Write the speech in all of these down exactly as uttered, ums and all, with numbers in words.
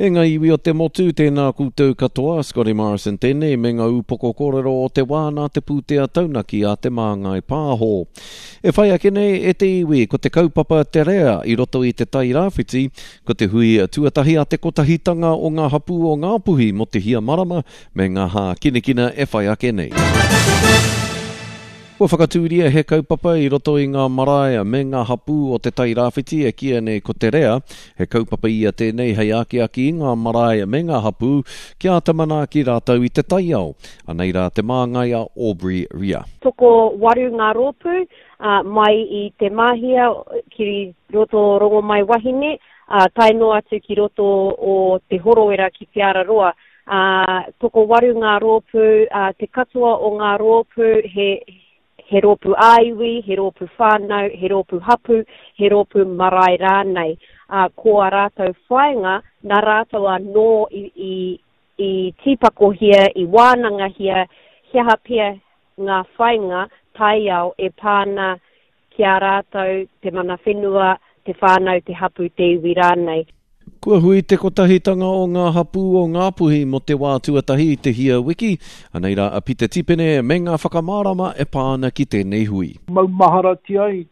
E ngā iwi o te motu, tēnā koutou katoa, Scotty Morrison tēnei me ngā upoko kōrero o te wā nā te pūtea taunaki a Te Māngai Pāho. E whai ake nei e te iwi, ko te kaupapa te rea i roto i te Tairāwhiti, ko te hui tuatahi a te kotahitanga o ngā hapū o Ngāpuhi mō te hia marama me ngā hākinakina e whai ake nei. Kua whakatūria he kaupapa i roto i ngā marae me ngā hapū o te Tairāwhiti e kīia nei ko Te Rea. He kaupapa ia tēnei hei akiaki i ngā marae me ngā hapū kia āta manaaki rātou i te taiao. Anei rā te māngai a Aubrey Ria. Tokowaru ngā rōpū mai i Te Māhia ki roto o Rongomaiwahine, tae noa atu ki roto o Te Horoera ki Te Araroa. Tokowaru ngā rōpū, te katoa o ngā rōpū he he rōpū ā-iwi, he rōpū whānau, he rōpū hapū, he rōpū marae rānei. Ā, ko ā rātou whāinga, nā rātou anō i, i, i tīpakohia, i wānangahia he aha pea ngā whāinga taiao e pā ana ki a rātou, te mana whenua, te whānau, te hapū, te iwi rānei. Kua hui te kotahitanga o ngā hapū o Ngāpuhi mō te wā tuatahi i te hia wiki. Anei rā a Pita Tipene me ngā whakamārama e pā ana ki tēnei hui. Maumaharatia ai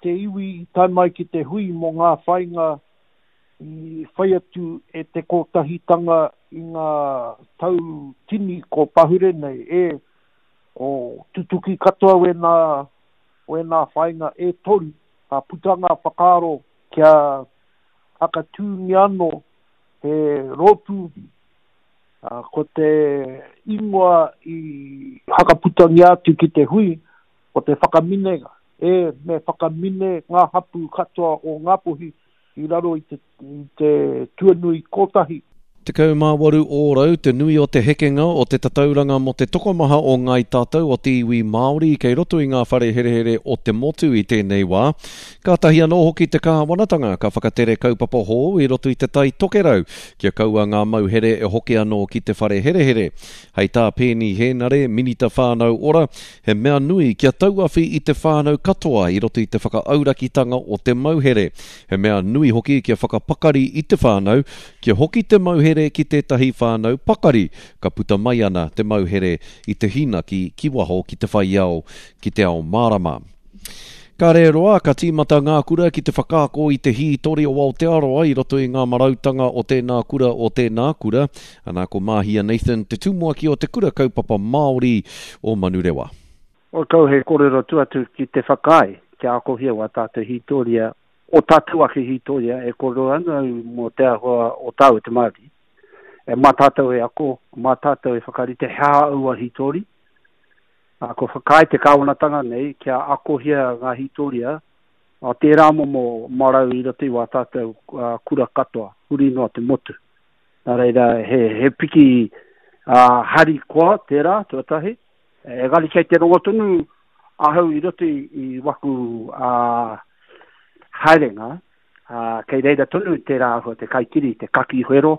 te iwi i tae mai ki te hui mō ngā whāinga i whai atu e te kotahitanga i ngā tau tini ko pahure nei, e ko tutuki katoa wēnā, wēnā whāinga e toru, ka puta ngā whakaaro kia hakatūngia anō he rōpū, ko te ingoa i hakaputangia atu ki te hui, ko te whakaminenga, e me whakamine ngā hapū katoa o Ngāpuhi i raro i te, i te tuanui kotahi. Tekau mā waru ōrau te nui o te hekenga o te tatauranga mō te tokomaha o ngāi tātou o te iwi Māori kei roto i ngā whare herehere o te motu i tēnei wā. Kātahi anō hoki te kāwanatanga ka whakatere kaupapa hou i roto i te Tai Tokerau kia kaua ngā mauhere e hoki anō ki te whare herehere. Hei tā Peeni Hēnare, Minita Whānau Ora, he mea nui kia tauawhi i te whānau katoa i roto i te whakaaurakitanga o te mauhere. He mea nui hoki kia whakapakari i te whānau, kia hoki te mauhere ki tētahi whānau pakari, ka puta mai ana te mauhere i te hīnaki ki waho ki te whai ao, ki te ao mārama. Ka rēroa, ka tīmata ngā kura ki te whakaako i te hītori o Aotearoa i roto i ngā marautanga o tēnā kura o tēnā kura. Ana ko Māhia Nathan, te tumuaki o te kura kaupapa Māori o Manurewa. O kau he kōrero tuatu ki te whakaae, kia akohia wā tātou hītoria, o tātou ake hītoria e kōrero ana au mō te āhua o tāu te Māori. E mā tātou e ako, mā tātou e whakarite he aha aua hītori. Ā, kua whakaae te kāwanatanga nei kia akohia ngā hītoria o tērā momo marau i roto i wā tātou kura katoa, huri noa te motu. Nā reira, he, he piki uh, harikoa tērā, tuatahi. Engari kei te rongo tonu ahau i roto i, i waku uh, haerenga, uh, kei reira tonu tērā āhua te kaikiri, te kaki whero.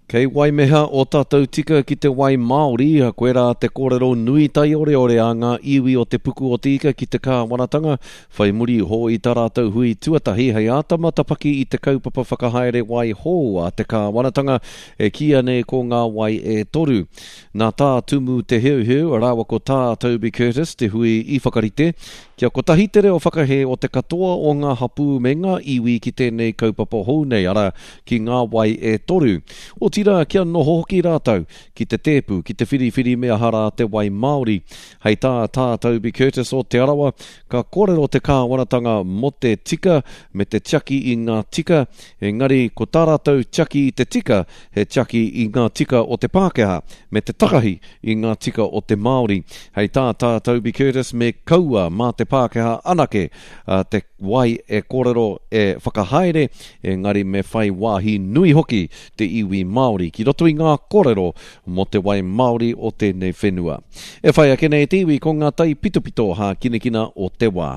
Kei waimeha o tātou tika ki te wai Māori, koirā te kōrero nui taioreore a ngā iwi o te puku o te ika ki te kāwanatanga, whai muri iho i tā rātou hui tuatahi hei āta matapaki i te kaupapa whakahaere wai hou a te kāwanatanga e kīia nei ko ngā wai e toru. Nā Tā Tumu Te Heuheu rāua ko Tā Toby Curtis te hui i whakarite, kia kotahi te reo whakahē o te katoa o ngā hapū me ngā iwi ki tēnei kaupapa hou nei, arā, ki ngā wai e toru. Otirā, kia noho hoki rātou ki te tēpu, ki te whiriwhiri me aha rā te wai Māori. Hei tā Tā Toby Curtis o Te Arawa, ka kōrero te kāwanatanga mō te tika me te tiaki i ngā tika, engari ko tā rātou tiaki i te tika, he tiaki i ngā tika o te Pākehā, me te takahi i ngā tika o te Māori. Hei tā Tā Toby Curtis, me kaua mā te Pākehā anake te wai e kōrero e whakahaere, engari me whai wāhi nui hoki te iwi Māori ki roto i ngā kōrero mō te wai Māori o tēnei whenua. E whai ake nei te iwi ko ngā taipitopito hākinakina o te wā.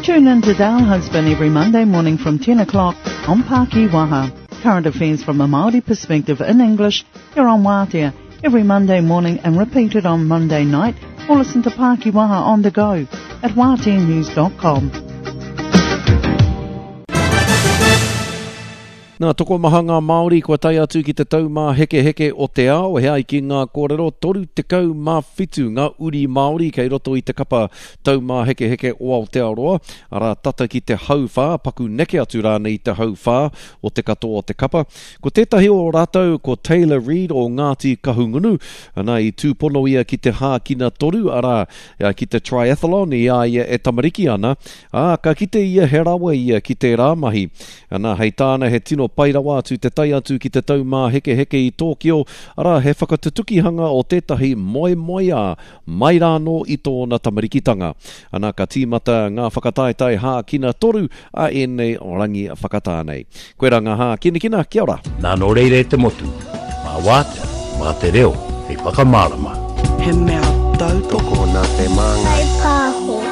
Tune in to Dale Husband every Monday morning from ten o'clock on Pākiwaha. Current affairs from a Māori perspective in English here on Waatea every Monday morning and repeated on Monday night, or listen to Pākiwaha on the go at waatea news dot com. Nā, tokomaha ngā Māori kua tae atu ki te taumāhekeheke o te ao, he ai ki ngā kōrero toru tekau mā whitu ngā uri Māori kei roto i te kapa taumāhekeheke o Aotearoa, arā tata ki te hauwhā, paku neke atu rānei i te hauwhā o te katoa o te kapa. Ko tētahi o rātou ko Taylor Reid o Ngāti Kahungunu, ana i tūpono ia ki te hākina toru, arā ki te triathlon i a ia e tamariki ana, ā, ka kite ia he rawa ia ki tērā mahi. Ana, hei tāna he tino pai rawa atu te tae atu ki te taumāhekeheke i Tōkio, arā he whakatutukihanga o tētahi moemoeā mai rānō i tōna tamarikitanga. Ana ka tīmata ngā whakataetae hākina toru a ēnei rangi whakatā nei. Koe rā ngā hākinakina, kia ora. Nā nō reira e te motu, mā wātea, mā te reo, hei whakamārama. He mea tautoko Tokona te māngai. Pāho.